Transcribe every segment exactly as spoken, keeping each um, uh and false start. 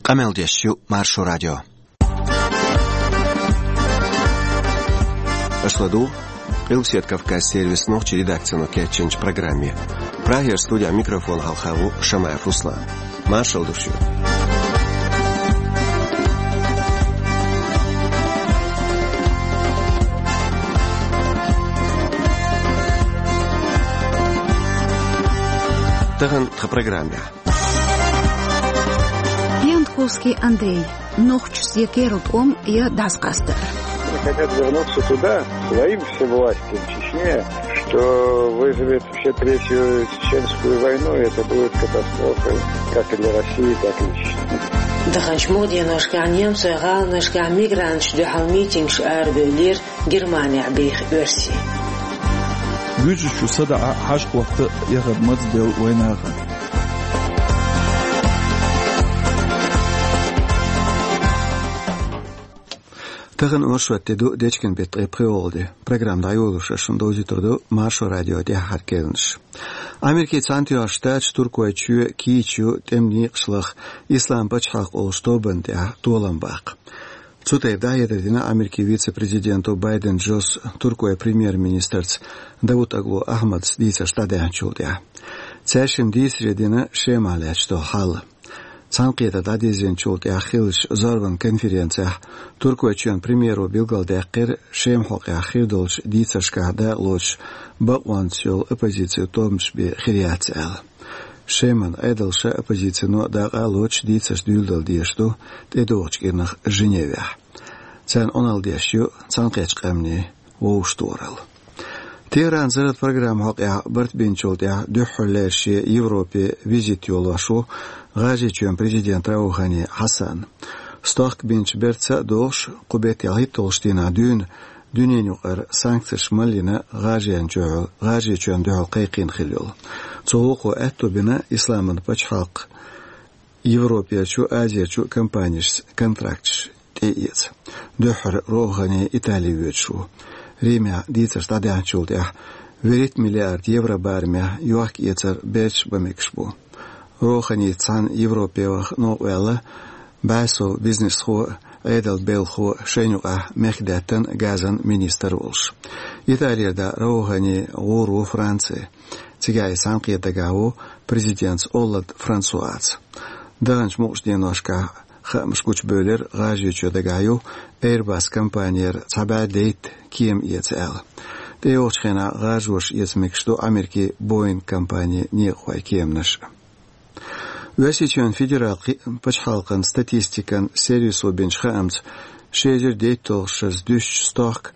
Къамел деш ю Маршо радио. Аша ладугӀу Къилбаседа Кавказан сервисан нохчийн редакцино кечйинчу программе. Прагера студехь микрофон хьалха ву Шамаев Руслан. Маршалла ду шуьга. Тахана тхан программехь. Пентковский Андрей. Нохчаша керла тӀом я дӀасакъастар. Они хотят вернуться туда, своим всевластием в Чечне, что вызовет вообще третью чеченскую войну, и это будет катастрофой как и для России, так и для Чечни. Даханчу муха деношкахь немцойн гӀаланашкахь мигранташна дуьхьал митингаш арабевллера Германехь беха оьрсий. Буьрсачу садаӀа хьажа-хӀотта яхар маза делла вайн нахана. Тахана оршот де ду, дечкен беттан ткъе пхоьалгӀа де. Программа дӀайолош шуна довзуьйтур ду Маршо радион тӀаьххьара керланаш. Америкин Цхьаьнатоьхначу Штаташа Туркойчоь кийча ю тӀеман некъаш лаха Ислам пачхьалкх олучу тобанна тӀехь толам баккха. Цу тайпа дӀахьедар дина Америкин вице-президенто Байден Джос Туркойн премьер-министрца Давутоглу Ахьмадца дийцарш дӀадаьхьначул тӀаьхьа. Цаьршимма дийцаре дина Шемахь лаьтташ долу хьал. Цхьаьнакхетар дӀадирзинчул тӀаьхьа хиллачу зорбан конференцехь Туркойчоьнан премьеро билгалдаьккхира, Шеман хьокъехь хир долчу дийцаршкахь дакъалоцуш бакъонца йолу оппозицин тобанаш бен хир яц аьлла. Шеман Ӏедалша, оппозицино дакъалоцуш дийцарш дуьйладала дезаш ду тӀедогӀучу кӀирнах Женевехь. Царна Ӏуналла деш ю Цхьаьнакхеттачу Къаьмнийн вовшахтохаралла. Техранан зарратан программин хьокъехь барт бинчул тӀаьхьа дуьххьарлера шен Европе визит йолош ву ГӀажарийчоьнан президент Раухани Хьасан. Стохка бинчу бертаца а догӀуш, кху беттан хӀитталгӀачу дийнахь дуьйна дуьненаюкъара санкцеш малйина ГӀажарийчоьнна дуьхьал, ГӀажарийчоьнна дуьхьал кхайкхийна хилла йолу. Цу гӀуллакхо аьтто бина Исламан пачхьалкх Европерчу, Азерчу компанешца контракташ тӀеэца. Дуьххьара Роухани Итали воьдуш ву. Римехь дийцарш дӀадаьхьначул тӀаьхьа вуьрхӀитта миллиард евро барамехь йохка-эцар берташ бан мегаш бу. Роуханица цхьаьна Европе ваха новкъаваьлла бӀе сов бизнесхо а, Ӏедалан белхахо а, шайна юкъахь мехкдаьттан, газан министр а волуш. Италера дӀа Роухани гӀур ву Франци. Цигахь и цхьаьнакхета дагахь ву президентца Олланд Франсуаца. Даханчу мукъачу деношкахь хаамаш гучубевлира, ГӀажарийчоь дагахь ю Airbus компанера цхьа бӀе дейтта кема эца аьлла. ТӀейогӀучу хенахь гӀажарша эца мегаш ду Америкин Boeing компанин некъахойн кеманаш. Оьрсийчоьнан федералан кхи-, пачхьалкхан статистикан сервисо бинчу хаамца, ши эзар дейтталгӀачу шарахь дуьстича стохка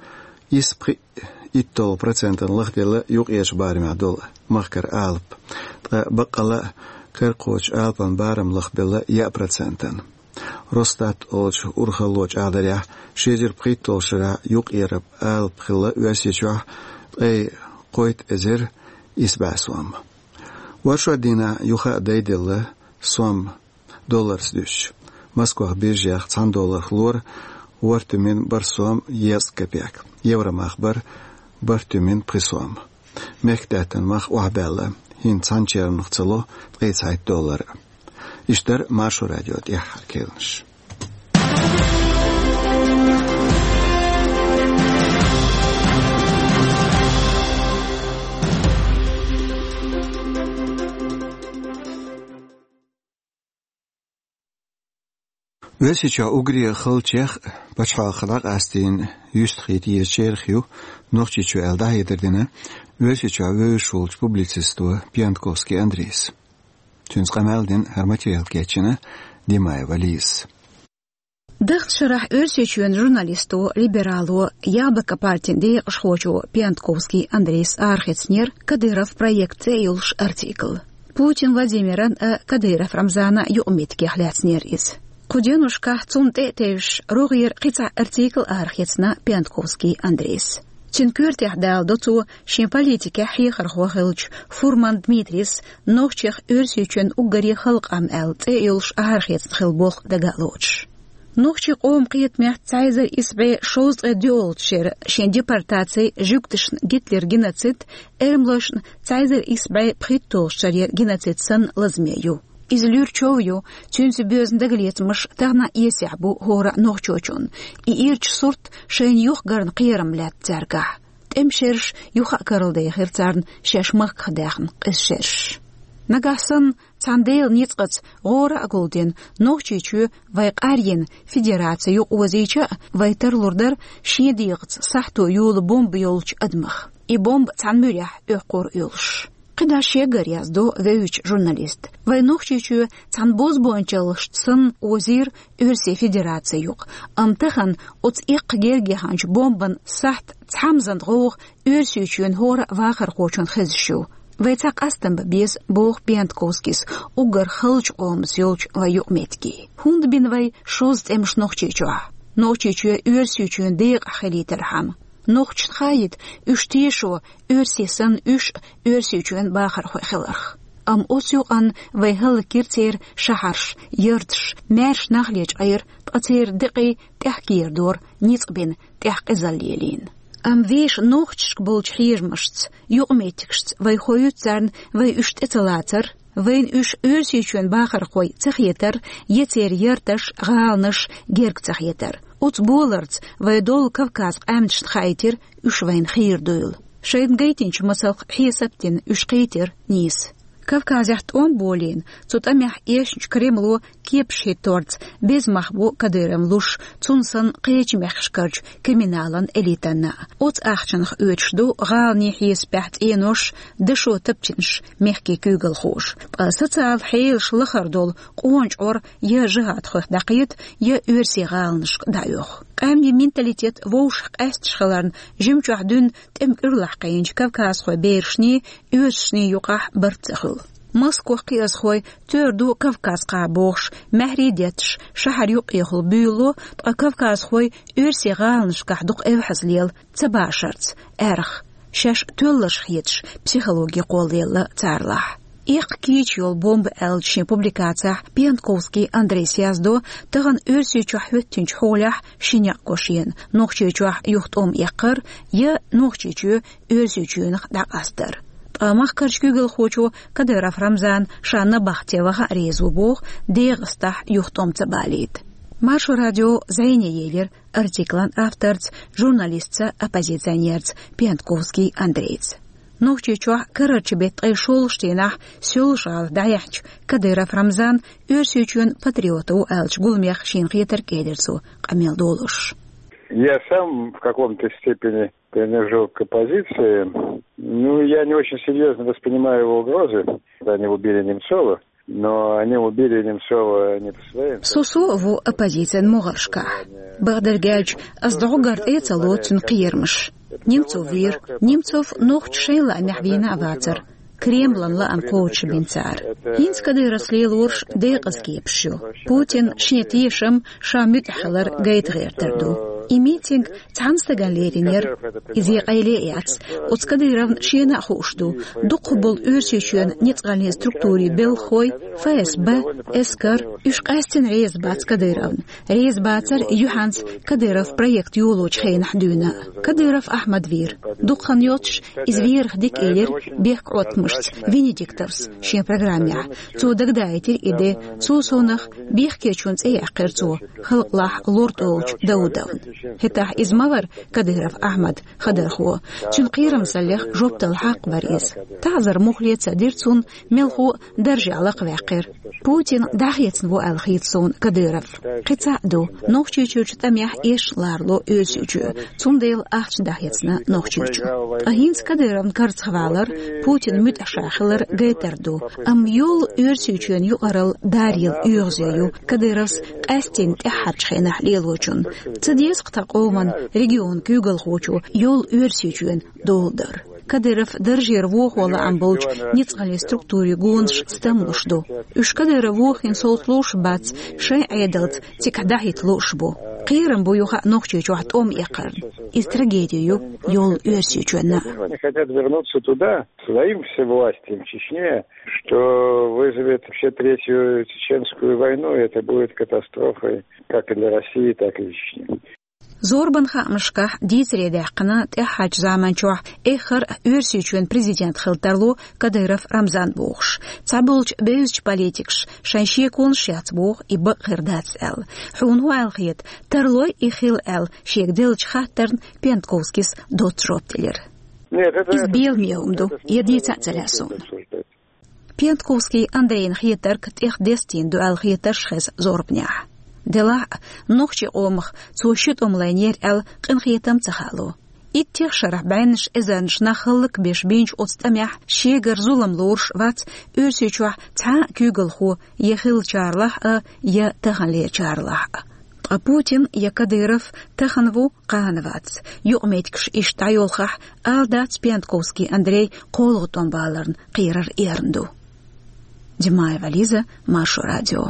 исс пхиъ итталгӀа процентана лахделла юккъерчу барамехь долу махкара алапа. Ткъа баккъалла а кара кхочу алапан барам лахбелла яа процентана. Росстат олучу урхалло чӀагӀдарехь, ши эзар пхийтталгӀачу шарахь юккъеран алапа хилла Оьрсийчохь ткъе кхойтта эзар исс бӀе сом. Оршот дийнахь юха а дайделла сом долларца дуьстича. Москвахь биржех цхьана долларх лора ворхӀ туьмин бархӀ сом езткъа копек, евромах бара бархӀ туьмин пхи сом. Мехкдаьттан мах охьабаьлла, хӀинца цхьана черхнах ца ло ткъе цхьайтта доллар. Иштта дара Маршо радион тӀаьххьара керланаш. Оьрсийчохь уггаре хала чех а, пачхьалкх дӀакъастийна юьстахийтар а езачарах ю Нохчийчоь аьлла, дӀахьедар дина Оьрсийчохь вевзаш волчу публицисто Пиянтковский Андрейс. Цуьнца къамел дина, хӀара материал кечйина Димаева Лизас. Даханчу шарахь Оьрсийчоьнан журналисто, либерало, Яблоко партин декъашхочо Пиянтковский Андрейс арахецнера «Кадыров проект» цӀе йолуш артикл. Путин Владимиран а, Кадыров Рамзанан а юкъаметтигех лаьцнера иза. Кху деношкахь цунна тӀе а тевжаш, рогӀера кхин цхьа артикл арахецна Пиянтковский Андрейс. Цуьнан коьртехь даладо цо шен политикехь хьехархо хиллачу Фурман Дмитрийс «Нохчех Оьрсийчоьнан уггаре хала къам» аьлла цӀе йолуш арахецна хилла болх дага а лоцуш. Нохчийн къоман кхетамехь цхьа эзар исс бӀе шовзткъе доьалгӀачу шеран шен депортаци, жуьгташна Гитлеран геноцид, эрмалошна цхьа эзар исс бӀе пхийтталгӀачу шеран геноцид санна лазаме ю. Иза луьра чов ю, цуьнца боьзна дагалецамаш тахана а эсехь бу хӀора а нохчочунна. И ирча сурт шайна юхагарна кхерам лаьтта цаьргахь. ТӀеман шераш юха а карладехира царна шаьш махках даьхна къиза шераш. Нагахь санна цхьана Делан ницкъаца гӀора а гулдина, Нохчийчоь вай къарйина федераци юкъа озийча а, вай тарлур дара шен дегӀаца сахьто йола бомба йолчу адамах. И бомба цхьана муьрехь оьккхур а йолуш. КхидӀа шегара яздо вевзачу журналиста. Вай Нохчийчоь цхьана бозбуунчаллашца санна озийра Оьрсийн Федераци юкъа. Амма тахана оцу эккха герга яханчу бомбан сахьт цхьамзан гӀовгӀа Оьрсийчоьнан хӀора а вахархочунна хезаш ю. Вай цхьа къастам бан беза, боху Пиантковскийс, уггар халчу къомаца йолчу вай юкъаметтиге. ХӀунда бина вай шозза тӀемаш Нохчийчохь? Нохчийчоь Оьрсийчоьнан декъахь хилийтархьама. Нохчашна хаийта, уьш тешо, оьрсий санна уьш а Оьрсийчоьнан бахархой хиларх. Амма оцу юкъанна вай хӀаллакйира церан шахьарш, ярташ, маьрша нах лечкъийра, ткъа церан декъий тӀаьхьа кийра дора, ницкъ бина, тӀехь къизалла лелийна. Амма вешан нохчашка болчу хьежамашца, юкъаметтигашца вай хоуьйту царна вай уьш тӀе ца лацар, вайна уьш Оьрсийчоьнан бахархой ца хетар, я церан ярташ, гӀаланаш герга ца хетар. Оцу боларца вай долу Кавказ къаьмнашна хаийтира уьш вайна хийра дуйла. Шайна гайтинчу масалх хьесап дина уьш кхийтира нийса. Кавказехь тӀом болийна, цу тӀамехь эшначу Кремло кепаш хӀитторца беза мах бу Кадыровна луш, цунна санна кхечу мехкашкарчу криминалан элитанна. Оцу ахчанах оьцуш ду гӀаланийн хьесапехь цӀенош, дашо тапчинаш мехкийн куьйгалхоша. Ткъа социал хьелаш лахара долу къона чкъор я жихӀадхойх дӀакхета, я оьрсийн гӀаланашка дӀаоьху. Къаьмнийн менталитет вовшах къаьсташ хиларна, жимчохь дуьйна тӀеман кӀуьрлахь кхиъначу кавказхойн берашний, оьрсашний юкъахь барт ца хуьлу. Москвахь кхиазхой тера ду Кавказ-кхаъ бохуш, маьхьарий детташ, шахьар юккъехула буьйлало, ткъа кавказхой оьрсийн гӀаланашкахь дукха эвхьазлела ца башарца, аьрха, шаьш тоьлларш хеташ, психологи кхоллаелла царлахь. «Эккха кийча йолу бомба» аьллачу шен публикацехь Пиантковский Андрейс яздо тахана Оьрсийчохь хӀоьттинчу хьолехь ши некъ го шена: Нохчийчохь юхатӀом эккхар я Нохчийчоь Оьрсийчоьнах дӀакъастар. Ткъа махкарчу куьйгалхочо Кадыров Рамзана ша набахте ваха а реза ву боху, ДегӀастахь юхатӀом ца балийта. Маршо радио зӀене елира артиклан авторца, журналистца, оппозиционерца Пиантковский Андрейца. Нохчийчохь карарчу беттан ткъе шолгӀачу дийнахь Соьлжа-ГӀала дӀаяьхьначу Кадыров Рамзан Оьрсийчоьнан патриот ву аьллачу гуламех шена хетарг элира цо къамел долуш. Я сам в каком-то степени принадлежу к оппозиции. Ну, я не очень серьёзно воспринимаю его угрозы. Они убили Немцова, но они убили Немцова не по своим. Со со а ву оппозицин могӀаршкахь. Бакъдерг аьлча, ас дӀоггар тӀе а ца лоцу цуьнан кхерамаш. Немцов вийра. Немцов нохчаша шайн лаамехь вийна а вацара. Кремлан лаам кхочушбина цара. ХӀинца Кадыровс лелораш декъаза кепаш ю. Путин шен тешам, ша муьтӀахь хилар гайта гӀертар ду. И митинг цхьана стагана леринера, иза къайле а яц. Оцу Кадыровна шена а хууш ду, дукхахболу Оьрсийчоьнан ницкъаллин структурийн белхахой, ФСБ, эскар, уьш къаьстина реза бац Кадыровна. Реза бацара юьхьанца Кадыров проект йолочу хенахь дуьйна. Кадыров Ахьмад вийра. Дукха хан йоцуш иза верах дика элира бехк Ӏоттамашца Венедиктовс шен программехь. Цо дагадаийтира и де, цул совнах бехкечун цӀе яьккхира цо, халкъалахь лорд олучу Даудовна. ХӀетахь иза ма вара Кадыров Ахьмад, хадархо. Цуьнан кхерамзаллех жоп дала хьакъ бара иза. ТаӀзар мухле ца дира цунна, мелхо а даржехь лакхаваьккхира. Путин дӀахецна ву аьлла хийца суна Кадыров. Кхин цхьаъ ду, Нохчийчуьрчу тӀамехь эшна ларало Оьрсийчоь, цундела ахча дӀахецна Нохчийчу. Ткъа хӀинца Кадыровна карзахвалар, Путин муьтӀахь ша хилар гайтар ду. Амма йолу Оьрсийчоьнан юкъаралла даръелла оьгӀазе ю Кадыровс къаьстина тӀаьххьарчу хенахь лелочунна. Ца деза-кх тхан къоман, регионан куьйгалхочо йолу Оьрсийчоьнан дола дар. Кадыров даржера вохо лаам болчу ницкъаллин структурийн гонаш стамлуш ду. Уьш Кадыров вохийна совца лууш бац, шайн Ӏедалца цигахь дӀахӀитта лууш бу. Кхерам бу юха а Нохчийчохь тӀом эккхарна. Иза трагеди ю йолу Оьрсийчоьнна. Они хотят вернуться туда, своим всевластием в Чечне, что вызовет вообще третью чеченскую войну, и это будет катастрофой как и для России, так и для Чечни. Зорбан хаамашкахь дийцаре даьккхина тӀаьххьарчу заманчохь эххар а Оьрсийчоьнан президент хила тарло Кадыров Рамзан бохуш. Цхьаболчу бевзачу политикаша шайн шеконаш яц боху и бакъ хир дац аьлла. Хьуна хӀун аьлла хета, тарлой и хила аьлла шега деллачу хаттарна Пентковскис доцца жоп делира. Иза беламе хӀума ду, я дийца а ца лаьа суна. Пентковский Андрейна хетарг тӀех дестийна ду аьлла хетарш хеза зорбанехь. Делахь а, нохчийн къомах цо ши тӀом лайнера аьлла къинхетам ца хаало. Иттех шарахь бӀеннаш эзарнаш нах хӀаллакбеш бинчу оцу тӀамехь шегара зулам лоруш вац Оьрсийчохь цхьа а куьйгалхо я хиллачарлахь а, я таханлерчарлахь а. Ткъа Путин я Кадыров тахана ву, кхана вац. Юкъаметтигаш иштта дӀайолхахь, ала дац Пентковский Андрей кхоалгӀа тӀом баларна кхерар эрна ду. Димаева Лиза, Маршо радио.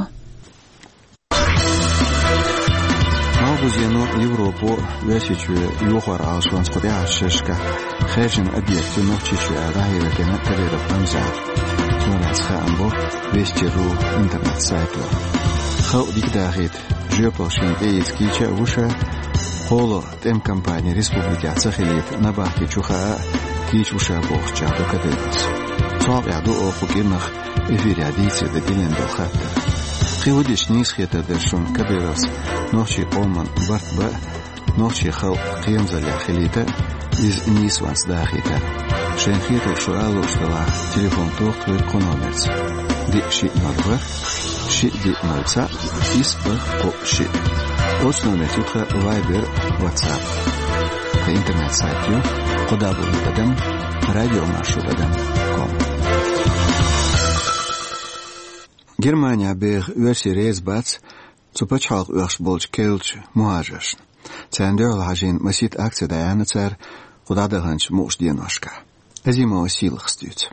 Малхбузено Европо, Оьрсийчоь йохор Ӏалашонца кху тӀаьхьарчу шерашкахь хаьржина объект ю Нохчийчоь аьлла дӀахьедина Кадыров Рамзана. Цунах хаам бо Вести ру интернет-сайто. Халкъ дика дахийта, жоьпалла шена тӀеэца кийча а ву ша, кхоалгӀа тӀеман кампани республикехь ца хилийта набахти чу хаа а кийча ву ша бохучех ду Кадыровс. Цу хьокъехь ду оха кху кӀирнах эфирехь дийцаре дан диллина долу хаттар. Кхин хӀун дича нийса хетар дара шуна Кадыровс нохчийн къоман барт бан а, нохчийн халкъ кхерамзаллехь хилийта а, иза нийсонца дахийта а? Шайна хетарг шу ала лууш делахь, телефон тоха тхоьга кху номерца: диъ шиъ ноль ворхӀ, шиъ диъ ноль цхьаъ, исс бархӀ кхоъ шиъ. Оцу номерца ю тхан Viber, WhatsApp. Тхан интернет-сайт ю: кхо дабл-ю тӀадам радиомаршо тӀадам ком. Германехь беха оьрсий реза бац цу пачхьалкх оьхуш болчу керлачу мухӀажаршна. Царна дуьхьал хьажийна масийтта акци дӀаяьхьна цара кху дӀадаханчу мукъачу деношкахь. Азимова Сийлахас дуьйцу.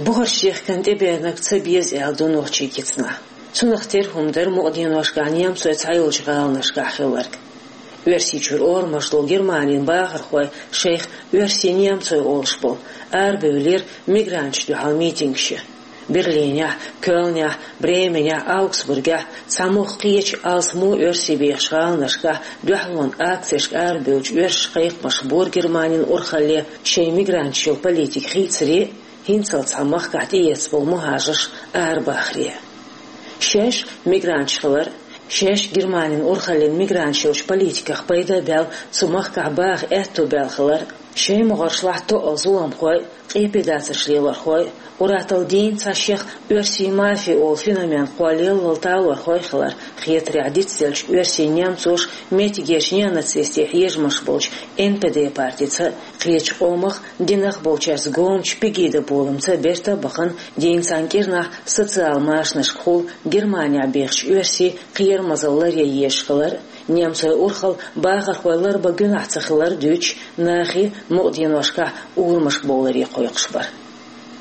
Бухарш ехкан тӀебеанарг ца беза аьлла ду нохчийн кицанахь. Цунах тера хӀума дара мукъа деношкахь немцойн цхьайолчу гӀаланашкахь хилларг. Оьрсийчуьра орамаш долу Германин бахархой шайх оьрсий-немцой олуш болу арабевллера мигранташна дуьхьал митингаш ян. Берлинехь, Кёльнехь, Бременехь, Аугсбургехь, цхьа мохк кхечу алсамо оьрсий бехачу гӀаланашкахь дуьхьалонан акцешка арабевллачу оьрсаша кхайкхамаш бора Германин урхалле шайн мигранташ йолу политика хийцаре, хӀинццалц цхьана махкахь тӀеэцна болу мухӀажарш арабахаре. Шаьш мигранташ хилар, шаьш Германин урхаллин мигранташ йолчу политиках пайда а баьлла, цу махкахь баха аьтто баьлла хилар, шайн могӀаршлахь тоъал зуламхой, къепедацарш лелорхой, ур-атталла дийна цхьа шех оьрсий мафия олу феномен кхоллаяллал талорхой хилар, хетарехь дицделлачу оьрсий-немцоша меттигерчу неонацистийн хьежамаш болчу Н П Д партица, кхечу къомах динах болчаьрца гомачу Пегида боламца берта а бахана, дийна цхьана кӀирнахь социал машанашкахула Германехь бехачу оьрсийн кхерамазалла ларъян езаш хилар, немцойн урхалла бахархой ларбан гуьнахь ца хилар дуьйцуш, нахе мукъа деношкахь урамашка бовларе кхойкхуш бара.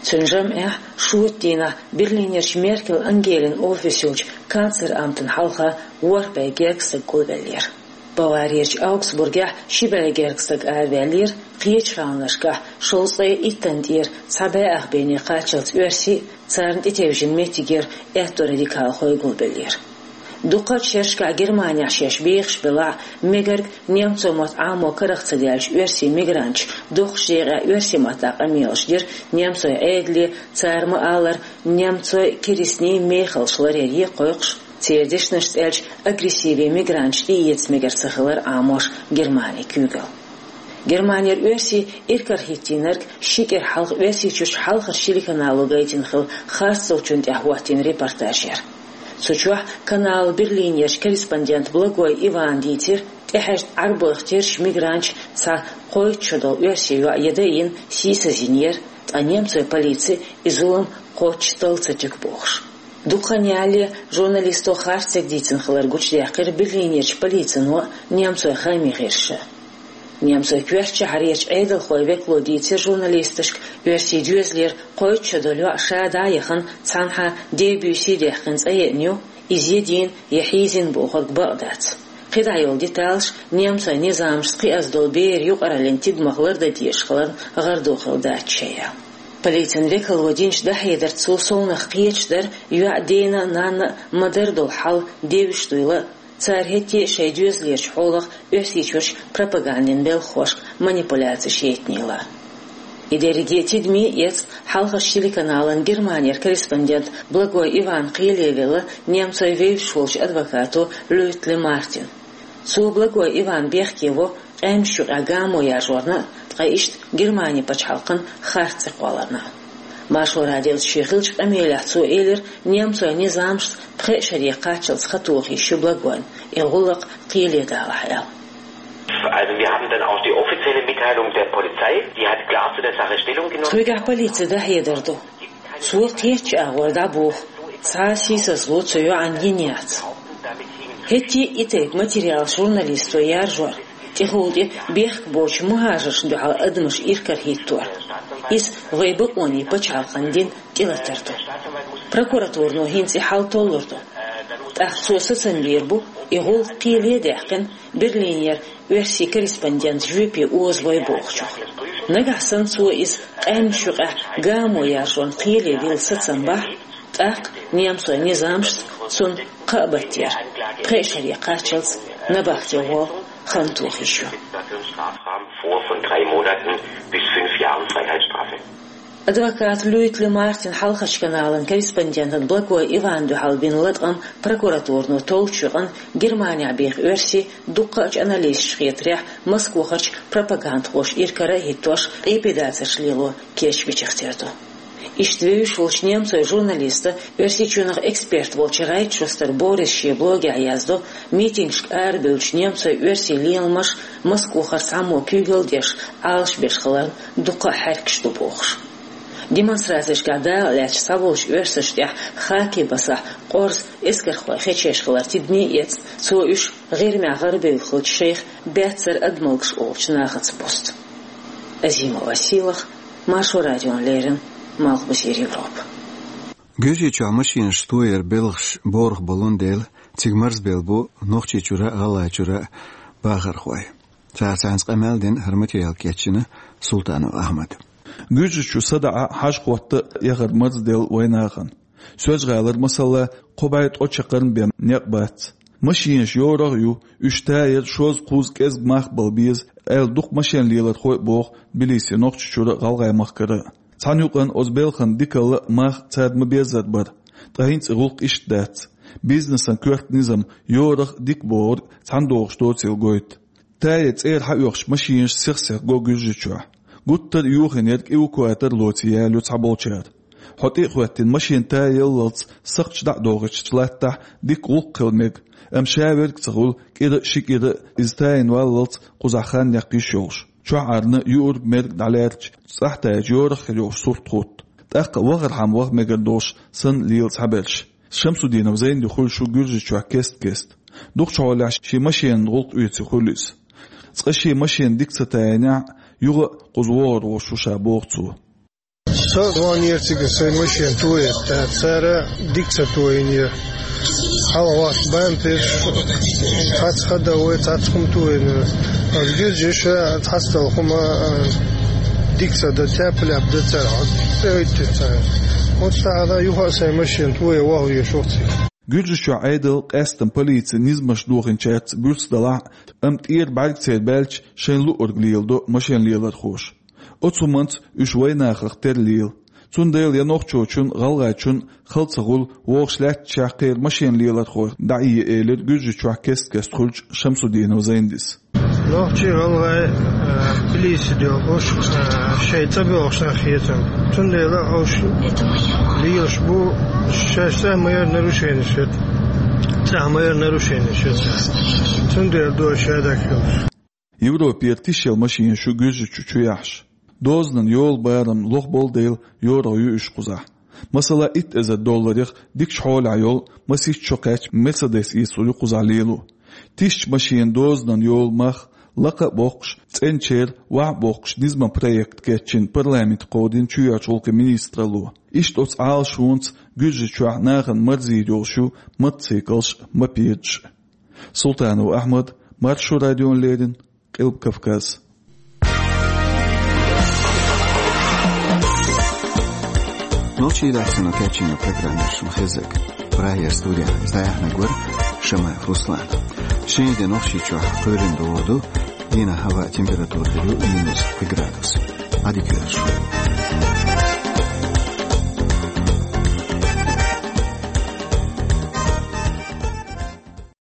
Цуьнан жамӀехь шоьтан дийнахь Берлинерчу Меркель Ангелин офис йолчу канцлер-амтана хьалха ворхӀ бӀе гергга стаг гулбеллера. Баварерчу Аугсбургехь ши бӀе гергга стаг араваьллера, кхечу гӀаланашкахь шовзткъе иттанна тӀера цхьа бӀе ах бене кхаччалц оьрсий, царна тӀетевжина меттигера аьтто радикалхой гулбеллера. Дукхачу шерашкахь Германехь шаьш бехаш белахь а, мегарг немцойн мотт Ӏамо карах ца даьллачу оьрсийн мигранташа доккхачу декъехь оьрсийн маттахь къамелаш дира немцойн Ӏедале, цара ма-аллара, немцойн керстнийн мехаллаш ларъяре кхойкхуш, церан дешнашца аьлча, агрессиве мигранташ тӀеэца мегар ца хилар Ӏамош Германин куьйгалла. Германера оьрсий иракарахӀиттийнарг ши кӀира хьалха Оьрсийчуьрчу хьалхарчу телеканало гайтина хилла харц долчунна тӀехь хӀоттийна репортаж яра. Цу чохь каналан Берлинерчу корреспондента Благой Ивана дийцира, тӀехьаьжна Ӏарбойх терра мигранташ цхьа кхойтта шо долу оьрсийн йоӀ ян дайина, сийсаз йинера, ткъа немцойн полици и зулам кхоччуш талла ца туьгу бохуш. Дукха хан ялале журналисто харц стеган дийцина хилар гучудаьккхира Берлинерчу полицино а, немцойн хаамийн гӀирсаша а. Немцойн коьртачу шахьарерчу Ӏедалхойн векало дийцира журналисташка, оьрсийн доьзалера кхойтта шо долу йоӀ ша дӀа а яхана, цхьанхьа дебюси даьккхина цӀа еана ю, иза я дийна, я хьийзийна бохург бакъ дац. КхидӀа йолу деталаш немцойн низамашца кхиаза долу берийн юкъараллин тидамах лардан дезаш хиларна гӀарадохула дац шайн аьлла. Полицин векало динчу дӀахьедарца цо совнаха кхеташ дара, йоӀан дена а, нанна а ма-дарра долу хьал девзаш дуйла а, Цара хӀетте а шоай доьзалерчу хьолах Оьрсийчуьрчу пропагандин белхахошка манипуляцеш еттанийла. И дерриге тидаме а эцна, хьалхарчу телеканалан Германера корреспондент Благой Иван кхеле велла немцойн вевзаш волчу адвокато Люйтли Мартин. Цо Благой Иван бехке во къаьмнаш юкъахь гамо яржорна а, ткъа иштта Германин пачхьалкхан харц цӀе кхолларна а. Маршо радиоца шен хиллачу къамелехь цо элира, немцойн низамашца пхеа шаре кхаччалц хан тоха йиш ю Благойн, и гӀуллакх кхеле далахь аьлла. Also wir haben dann auch die offizielle Mitteilung der Polizei, die hat klar zu der Sache Stellung genommen. Цигахь полицин дӀахьедар ду. Цо кхеччу агӀор дӀабоху, цхьа а сийсазло цу йоӀанна йина яц. ХӀетте а и тайпа материалаш журналисто яржор, тӀехула тӀе бехк боцчу мухӀажаршна дуьхьал адамаш иракарахӀиттор. Иза вайн бакъонийн пачхьалкхан дин тӀелатар ду. Прокуратурано хӀинца и хьал толлур ду. ТӀаккха цо сацам бийр бу, и гӀуллакх кхеле а даьккхина, Берлинера оьрсийн корреспондент жоьпе озалой бохучух. Нагахь санна цо иза къаьмнаш юкъахь гамо яржорна кхеле вилла сацам бахь, тӀаккха немцойн низамашца цунна кхаа баттера, пхеа шаре кхаччалц набахте гӀолла хан тоха йиш ю. Vor von drei Monaten bis fünf Jahren Freiheitsstrafe. Адвокат Люйтли Мартин хьалхарчу каналан корреспондентана Благой Иванна дуьхьал бина латкъам прокуратурано толлучу юкъана Германехь беха оьрсий, дуккха а аналисташна хетарехь, Москвахарчу пропагандхоша иракарахӀиттош, къепедацарш лело кечбечех тера ду. Иштта вевзаш волчу немцойн журналиста, Оьрсийчоьнах эксперт волчу Райтшустер Бориса шен блогехь яздо, митингашка арабевллачу немцойн, оьрсийн леламаш Москвахара цхьаммо куьйгалла деш, Ӏалашбеш хиларна дуккха а хьаьркаш ду бохуш. Демонстрацешкахь дакъа лаьцначу цхьаболчу оьрсашна тӀехь хаккхий басахь къорза эскархой хечъеш хилар тидаме а эцна, цо уьш ГӀирмехь гӀарабевлла хиллачу шайх баьццара адамалгаш олучу нахаца бусту. Азимова Сийлаха, Маршо радиона леррина, Малхбузера Европа. Гуьржийчохь машенаш тояран белхаш борах болун дела, цига марзбелла бу Нохчийчуьра а, ГӀалгӀайчуьра а бахархой. Цара цхьаьнца къамел дина, хӀара материал кечйина Султанов Ахьмада. Гуьржийчу садаӀа, хьажа-хӀотта а яхар марзделла вайнахана. Соьлжа-ГӀалара, масала, кхо бӀе ткъа чаккхарма бен некъ бац. Машенаш йорах а ю, уьш таяр шозза-кхузза кӀезиг мах бала беза, аьлла дукха машен лелархой а боху Тбилиси, Нохчийчуьра а, ГӀалгӀай махкара а. Цхьана юкъана оцу белхан дикалла а, мах царна ма-беззара бара. Ткъа хӀинца и гӀуллакх иштта дац. Бизнесан коьрта низам йорах а, дика бохург а цхьаьна догӀуш доцийла гойту. Тая цӀера хьаоьхучу машенаш сих-сиха го Гуьржийчохь. Гуттар а юханера кӀи эвакуатор лоций ялайо цхьаболчара. Хьо тӀе а хӀоьттина, машен таяллалц сакхташ дӀа а дохуьйтучу латтахь дика гӀуллакх хила мега, амма ша верг а ца хуьлу, кӀира а, ши кӀира а иза тайна валлалц кхузахь хан яккха йиш йолуш. Чохь Ӏарна юург-мерг дӀалаьрча, цӀахь таьрча йорах а хир йолуш сурт хӀутту. ТӀаккха вахархьама ваха мегар долуш санна лела цхьаберш. Шамсудинов Зайнди хуьлуш ву Гуьржийчохь кест-кеста. Дукхачу хьолехь шен машенан гӀуллакх оьций хуьлу иза. Цкъа шен машен дика ца тайнехь а, юха а кхуза вогӀур волуш ву ша, боху цо. Со а ваханера цига сайн машен тояр, тӀаккха цара дика ца тоинера. Хьалха вахча бампер, цхьацца ходовой, цхьацца хӀума тоинера. Ас гуьржаша цхьацдолу хӀума, а, дика ца дан, тяп-ляп дан цара, хьо тӀеоьттина цара. ХӀинца тахана юха а сайн машен тоя ваха везаш ву цига. Гуьржийчохь Ӏедал, къаьсттина полици низамаш дохийначаьрца буьрса далахь а, амма тӀера бӀаьрг церан баьлча, шайна луург леладо машен лелархоша. Оцу хӀуманца уьш вайнахах тера лела. Цундела я нохчочунна, гӀалгӀайчунна хала ца хуьлу, вогӀуш лаьттачохь кхеран машен лелархойх дӀаэца, элира Гуьржийчохь кест-кеста хуьлучу Шамсудинов Зайндис. Нохчий, гӀалгӀай, а, Тбилиси доьлхуш, а, шайн цӀа боьлхуш нах хетам. Цундела уьш лелаш бу, шаьш цӀа ма-ярра нарушенеш ю. ЦӀа ма-ярра нарушенеш ю. Цундела ду шаьш дӀахилуш. Европера тишъелла машенаш ю Гуьржийчу чу яхьаш. Дозанан йолу барам лохболу дела, йорах ю уьш кхузахь. Масала, итт эзар долларех дикачу хьолехь йолу, масийтта шо кхаьчна Мерседес эцалур ю кхузахь лело. Тишачу машенан дозанан йолу мах лакха а боккхуш, цӀеначеран ваха а боккхуш, низаман проект кечйина парламенте кховдийна чоьхьарчу гӀуллакхийн министралло. Иштта оцу Ӏалашонца Гуьржийчохь нахана марзийр йолуш ю мотоциклаш а, мопедаш а. Султанов Ахьмад, Маршо радиона леррина, Къилба Кавказ. Нохчийн редакцино кечйина программа шуна хезнарг. Прагера студехь иза дӀаяьхьнарг вара Шамаев Руслан. Шинжлэхэдийн Нохчийчуяа, Куйрин дууду, дийнэ хабаа температура хирю минус градус. Адикерш.